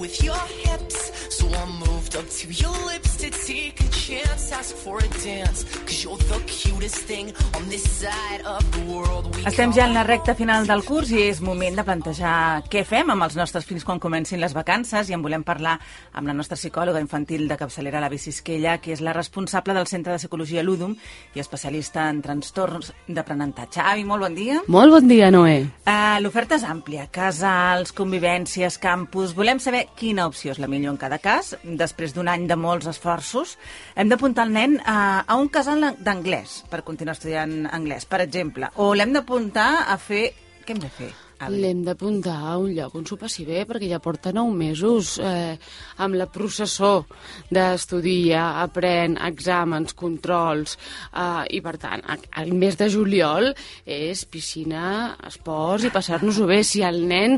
with your hips. So I moved up to your lips to take a chance, ask for a dance, cause you're the cutest thing on this side of the world. Estem ja en la recta final del curs i és moment de plantejar què fem amb els nostres fills quan comencin les vacances, i en volem parlar amb la nostra psicòloga infantil de capçalera, l'Avi Sisquella, que és la responsable del Centre de Psicologia Ludum i especialista en trastorns d'aprenentatge. Avi, molt bon dia. Molt bon dia, Noé. L'oferta és àmplia, casals, convivències, campus. Volem saber quina opció és la millor en cada cas. Després d'un any de molts esforços, hem d'apuntar el nen a un casal d'anglès per continuar estudiant anglès, per exemple, o l'hem d'apuntar a fer... Què hem de fer? L'hem d'apuntar a un lloc on s'ho passi bé, perquè ja porta 9 mesos amb la processó d'estudiar, aprèn, exàmens, controls, i per tant, el mes de juliol és piscina, esports i passar-nos-ho bé. Si al nen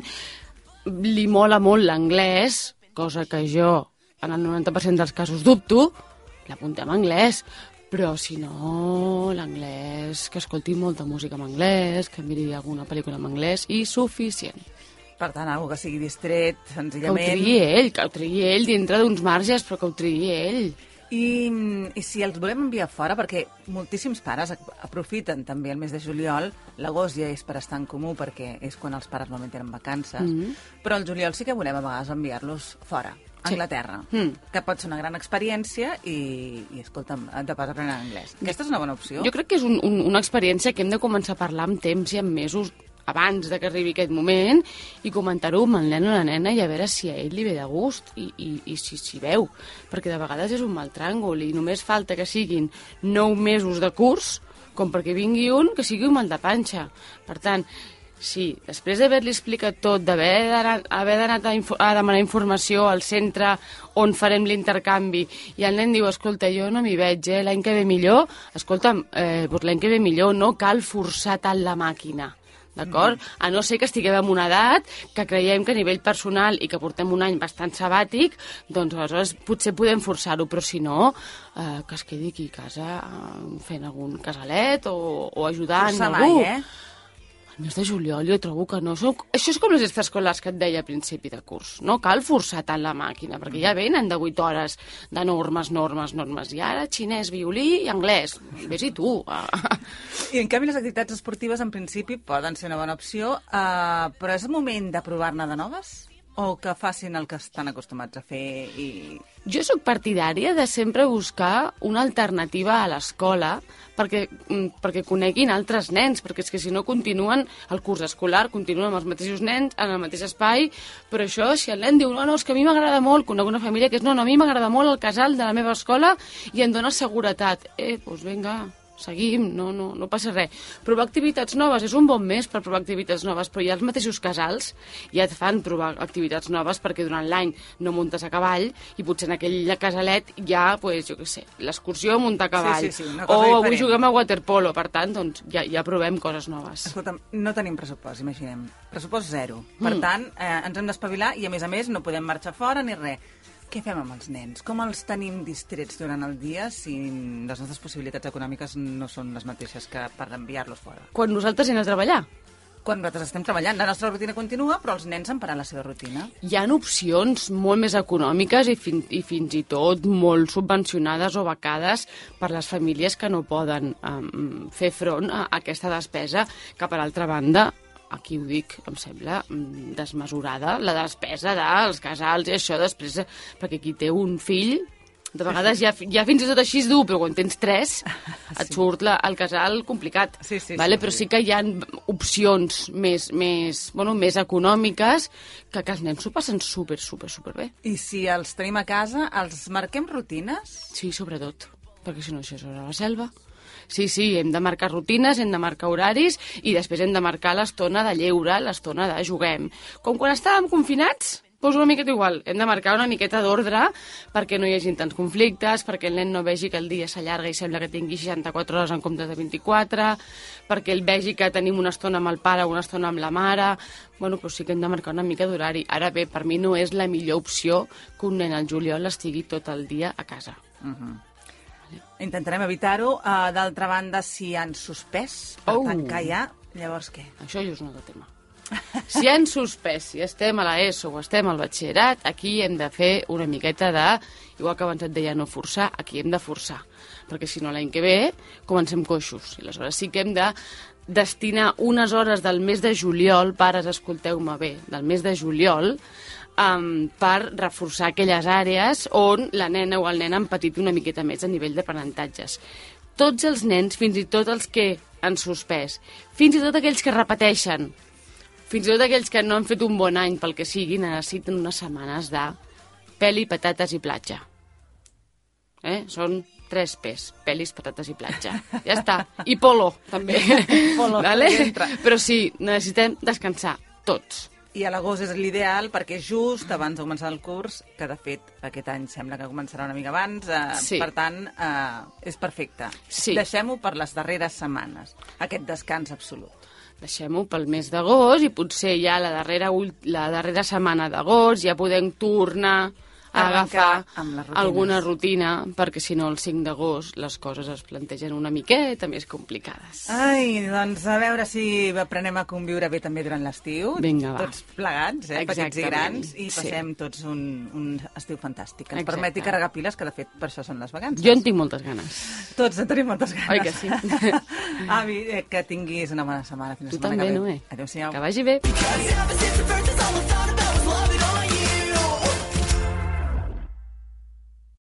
li mola molt l'anglès, cosa que jo en el 90% dels casos dubto, l'apuntem a anglès. Però si no, l'anglès, que escolti molta música en anglès, que miri alguna pel·lícula en anglès, i suficient. Per tant, algo que sigui distret, senzillament... Que ho triï ell dintre d'uns marges, però que ho triï ell. I si els volem enviar fora, perquè moltíssims pares aprofiten també el mes de juliol, l'agost ja és per estar en comú, perquè és quan els pares normalment tenen vacances, però el juliol sí que volem a vegades enviar-los fora. Anglaterra, que pot ser una gran experiència i escolta'm, de pas aprendre anglès. Aquesta és una bona opció? Jo crec que és una experiència que hem de començar a parlar amb temps i amb mesos abans de que arribi aquest moment i comentar-ho amb el nen o la nena i a veure si a ell li ve de gust i si s'hi veu, perquè de vegades és un mal tràngol i només falta que siguin 9 mesos de curs com perquè vingui un que sigui un mal de panxa. Per tant, sí, després d'haver-li explicat tot, haver d'anar a demanar informació al centre on farem l'intercanvi, i el nen diu, escolta, jo no m'hi veig, l'any que ve millor, escolta'm, doncs l'any que ve millor, no cal forçar tant la màquina, d'acord? A no ser que estiguem en una edat que creiem que a nivell personal i que portem un any bastant sabàtic, doncs aleshores potser podem forçar-ho, però si no, que es quedi aquí a casa fent algun casalet o ajudant forçar algú. mai, El mes de juliol jo trobo que no. Això és com les extraescolars que et deia a principi de curs. No cal forçar tant la màquina, perquè ja venen de 8 hores de normes, i ara xinès, violí i anglès. Ves-hi tu. I en canvi les activitats esportives en principi poden ser una bona opció, però és el moment de provar-ne de noves? O que facin el que estan acostumats a fer i... Jo sóc partidària de sempre buscar una alternativa a l'escola perquè coneguin altres nens, perquè és que si no continuen el curs escolar, continuen amb els mateixos nens, en el mateix espai, però això, si el nen diu, no, és que a mi m'agrada molt, conec una família que és, no, a mi m'agrada molt el casal de la meva escola i em dona seguretat. Doncs vinga, seguim, no passa res. Provar activitats noves és un bon mes per provar activitats noves, però ja els mateixos casals ja et fan provar activitats noves perquè durant l'any no muntes a cavall i potser en aquell casalet ja, pues, jo què sé, l'excursió a muntar a cavall. Sí, una o cosa avui diferent. juguem a waterpolo, per tant, doncs ja provem coses noves. Escolta'm, no tenim pressupost, imaginem. Pressupost zero. Per tant, ens hem d'espavilar i, a més, no podem marxar fora ni res. Què fem amb els nens? Com els tenim distrets durant el dia si les nostres possibilitats econòmiques no són les mateixes que per enviar-los fora? Quan nosaltres anem a treballar. Quan nosaltres estem treballant, la nostra rutina continua, però els nens han parat la seva rutina. Hi ha opcions molt més econòmiques i fins i tot molt subvencionades o becades per les famílies que no poden fer front a aquesta despesa, que per altra banda, aquí ho dic, em sembla desmesurada, la despesa dels casals i això després, perquè qui té un fill, de vegades ja fins i tot així és dur, però quan tens 3 et surt el casal complicat. Però sí que hi ha opcions més econòmiques que els nens s'ho passen super bé. I si els tenim a casa, els marquem rutines? Sí, sobretot, perquè si no això és a la selva. Sí, hem de marcar rutines, hem de marcar horaris i després hem de marcar l'estona de lleure, l'estona de juguem. Com quan estàvem confinats, doncs una miqueta igual. Hem de marcar una miqueta d'ordre perquè no hi hagi tants conflictes, perquè el nen no vegi que el dia s'allarga i sembla que tingui 64 hores en comptes de 24, perquè ell vegi que tenim una estona amb el pare o una estona amb la mare. Però sí que hem de marcar una mica d'horari. Ara bé, per mi no és la millor opció que un nen al juliol estigui tot el dia a casa. Intentarem evitar-ho. D'altra banda, si han suspès, per tancar ja, llavors què? Això ja és un altre tema. Si han suspès, si estem a l'ESO o estem al batxillerat, aquí hem de fer una miqueta de, igual que abans et deia no forçar, aquí hem de forçar, perquè si no l'any que ve comencem coixos. I aleshores sí que hem de destinar unes hores del mes de juliol, pares, escolteu-me bé, del mes de juliol, per reforçar aquelles àrees on la nena o el nen han patit una miqueta més a nivell d'aprenentatges. Tots els nens, fins i tot els que han suspès, fins i tot aquells que repeteixen, fins i tot aquells que no han fet un bon any pel que sigui, necessiten unes setmanes de peli, patates i platja. Són 3 P's, pelis, patates i platja. Ja està. I polo, també. Polo, vale? entra. Però sí, necessitem descansar, tots. I a l'agost és l'ideal perquè just abans de començar el curs, que de fet aquest any sembla que començarà una mica abans, Sí. per tant, és perfecte. Sí. Deixem-ho per les darreres setmanes, aquest descans absolut. Deixem-ho pel mes d'agost i potser ja la darrera setmana d'agost ja podem tornar a Arrencar agafar amb les rutines. alguna rutina, perquè si no el 5 d'agost les coses es plantegen una miqueta més complicades. Ai, doncs a veure si aprenem a conviure bé també durant l'estiu. Vinga, va. Tots plegats, petits i Exactament, grans, i sí. passem tots un estiu fantàstic. Que ens Exacte. permeti carregar piles, que de fet per això són les vacances. Jo en tinc moltes ganes. Tots en tenim moltes ganes. Oi que sí? Avi, que tinguis una bona setmana. Fins la Tu setmana també, que ve. Noé. Adéu-siau. Que vagi bé. Cause ever since the first, that's all I thought about was loving on you.